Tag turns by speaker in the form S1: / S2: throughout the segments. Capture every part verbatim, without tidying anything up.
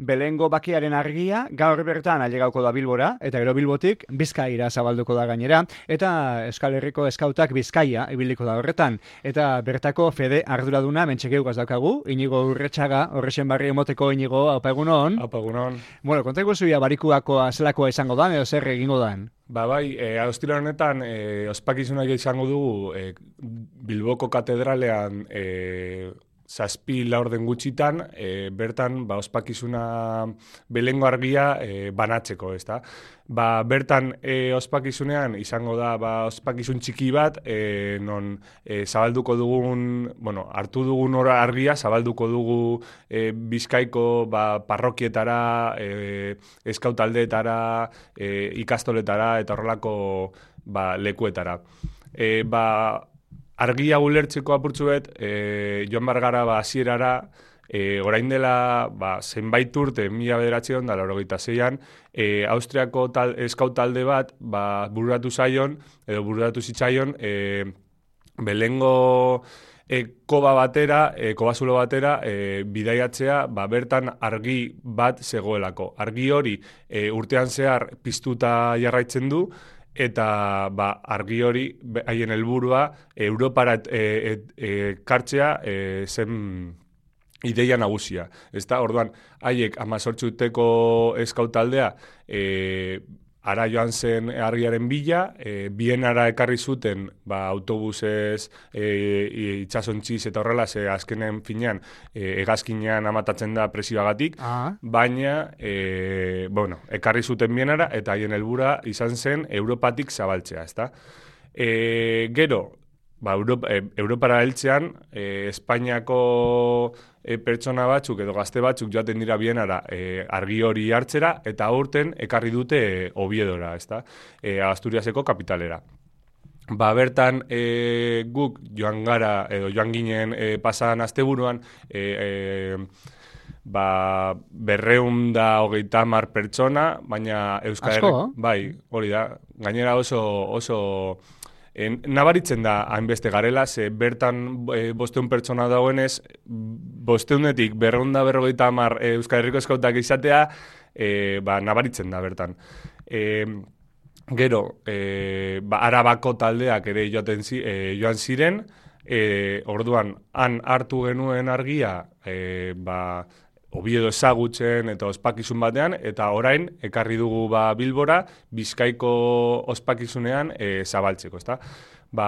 S1: Belengo bakearen argia gaur bertan ailegauko da Bilbora, eta gero Bilbotik Bizkaira zabalduko da gainera, eta Euskal Herriko eskautak Bizkaia ibiliko da horretan, eta bertako fede arduraduna mentxekeugaz daukagu, Inigo Urretxaga, horrexen barri emoteko Inigo, haupa egunon.
S2: Haupa egunon.
S1: Bueno, kontako zuia barikuakoa zelakoa izango da, edo zer egingo dan?
S2: Ba bai, e, austira honetan e, ospakizunak izango dugu e, Bilboko katedralean e, zazpi laurden gutxitan, e, bertan ba, ospakizuna belengo argia e, banatzeko, ezta? Ba, bertan e, ospakizunean izango da ba, ospakizun txiki bat, e, non e, zabalduko dugun, bueno, hartu dugun ora argia, zabalduko dugu e, Bizkaiko ba, parrokietara, e, eskautaldeetara, e, ikastoletara eta horrelako ba, lekuetara. E, ba, argia ulertzeko apurtzuet, e, joan bargara ba, hasierara, e, orain dela ba, zenbait urte, mila bederatzion da laurogeita zeian, e, Austriako tal, eskautalde bat ba, bururatu zaion, edo bururatu zitzaion, e, belengo e, koba batera, e, kobazulo batera, e, bidaiatzea, ba, bertan argi bat zegoelako. Argi hori e, urtean zehar piztuta jarraitzen du, eta ba, argi hori haien helburua Europara ekartzea e, e, zen ideia nagusia. Ezta, orduan, haiek hemezortzi urteko eskautaldea e, ara joan zen argiaren bila, e, Bienara ekarri zuten ba, autobusez, e, itxasontziz eta horrela, ze azkenen finean, e, hegazkinean amatatzen da presioagatik,
S1: ah.
S2: baina, e, bueno, ekarri zuten Bienara, eta haien helbura izan zen Europatik zabaltzea, ezta? E, gero, ba, Europa, e, Europara heltzean, e, Espainiako e, pertsona batzuk edo gazte batzuk joaten dira Bienara e, argi hori hartzera, eta aurten ekarri dute e, Oviedora, ezta? E, Asturiaseko kapitalera. Ba, bertan e, guk joan gara, edo joan ginen e, pasadan asteburuan, e, e, ba, berreun da hogeita hamar pertsona, baina Euskal Herri, bai, hori da, gainera oso, oso E, nabaritzen da hainbeste garela, ze bertan e, bosteun pertsona dagoenez, bosteunetik berreunda berrogeita hamar e, Euskal Herriko eskautak izatea, e, ba, nabaritzen da bertan. E, gero, e, ba, Arabako taldeak ere joaten zi, e, joan ziren, e, orduan, han hartu genuen argia, e, ba, Oviedo ezagutzen eta ospakizun batean, eta orain ekarri dugu ba, Bilbora Bizkaiko ospakizunean e, zabaltzeko, ezta? Ba,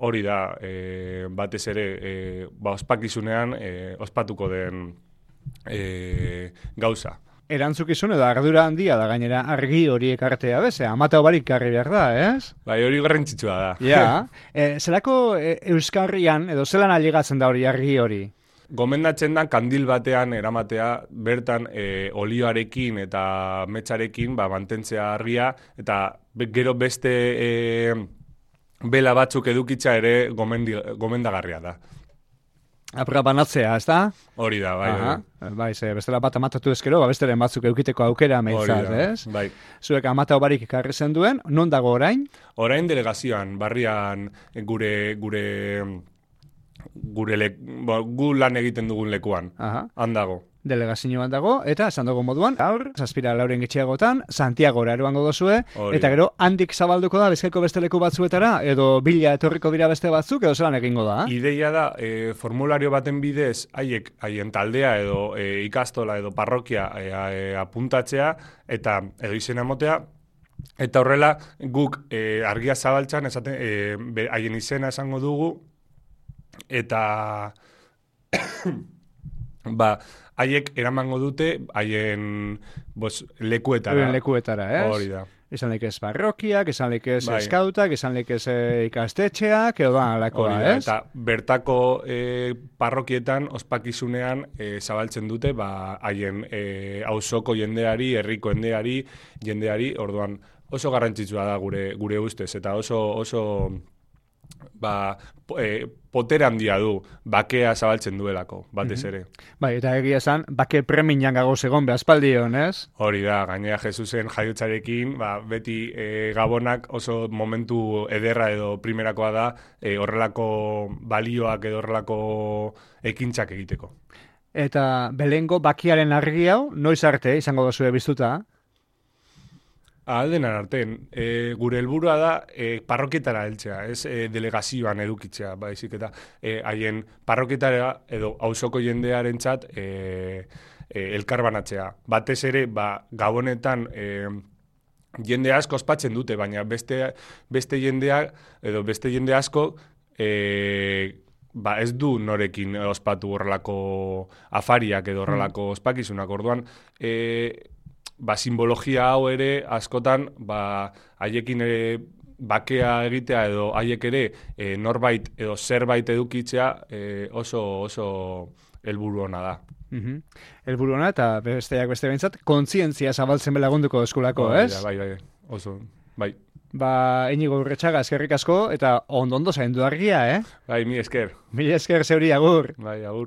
S2: hori da, e, batez ere, e, ba, ospakizunean e, ospatuko den e, gauza.
S1: Erantzukizun edo ardura handia da gainera argi hori ekartea beze, amata barik karri behar da, ez?
S2: Bai, hori garrantzitsua da.
S1: Ja, e, zelako e, Euskarrian edo zelan ailegatzen da hori argi hori?
S2: Gomendatzen da kandil batean eramatea bertan e, olioarekin eta metxarekin ba, mantentzea argia, eta be, gero beste e, bela batzuk edukitza ere gomendi, gomendagarria da.
S1: Apra banatzea, ez da?
S2: Hori da, bai.
S1: Aha, bai, ze, bestela bat amatatu ezkero, ba, besteren batzuk eukiteko aukera meitzat, ez?
S2: Bai.
S1: Zuek amata barik ekarri zen duen, non dago orain?
S2: Orain delegazioan, barrian gure... gure gure le, bo, gu lan egiten dugun lekuan, handago.
S1: Delegazioan dago, eta esan dago moduan, gaur, zazpira lauren gitxiagotan, Santiagora eroango dozue, eta gero handik zabalduko da Bizkaiko beste leku batzuetara, edo bila etorriko dira beste batzuk, edo zelan egingo da?
S2: Ideia da, e, formulario baten bidez, haiek, haien taldea, edo e, ikastola, edo parrokia e, e, apuntatzea, eta edo izena motea, eta horrela guk e, argia zabaltzan, esaten, e, haien izena esango dugu, eta ba, haiek eramango dute haien bos, lekuetara.
S1: Lekuetara, ez?
S2: Hori da.
S1: Esan lekez parrokiak, esan lekez
S2: bai.
S1: eskautak, esan lekez e, ikastetxeak, edo da, lakoa, ez?
S2: Eta bertako e, parrokietan, ospakizunean, e, zabaltzen dute, ba, haien e, auzoko jendeari, herriko jendeari, jendeari, orduan oso garrantzitsua da gure, gure ustez, eta oso... oso ba, e, potere handia du, bakea zabaltzen duelako, batez ere.
S1: Bai, eta egia esan, bake preminan gagoz egon behazpaldion, ez?
S2: Hori da, gainera Jesusen jaiotzarekin, ba, beti e, Gabonak oso momentu ederra edo primerakoa da, e, horrelako balioak edo horrelako ekintzak egiteko.
S1: Eta belengo bakiaren argi hau, noiz arte izango da zure biztuta?
S2: Aldenan artean, e, gure helburua da e, parrokietara heltzea, ez e, delegazioan edukitzea, baizik eta e, haien parrokietara edo auzoko jendearentzat e, e, elkarbanatzea. Batez ere, ba, gabonetan e, jende asko ospatzen dute, baina beste, beste jendeak edo beste jende asko e, ba, ez du norekin ospatu horrelako afariak edo horrelako ospakizunak. Orduan, e, ba, simbologia hau ere askotan ba, haiekin ere bakea egitea edo haiek ere e, norbait edo zerbait edukitzea e, oso oso helburu ona da.
S1: Mhm. Helburu ona eta besteak beste behintzat kontzientzia zabaltzen belagunduko eskulako,
S2: Bai,
S1: ez?
S2: bai, bai, oso, bai.
S1: Ba, Inigo Urretxaga, eskerrik asko eta ondo ondo zaindu argia, eh?
S2: Bai, mi esker.
S1: Mila esker zeuri agur.
S2: Bai, agur.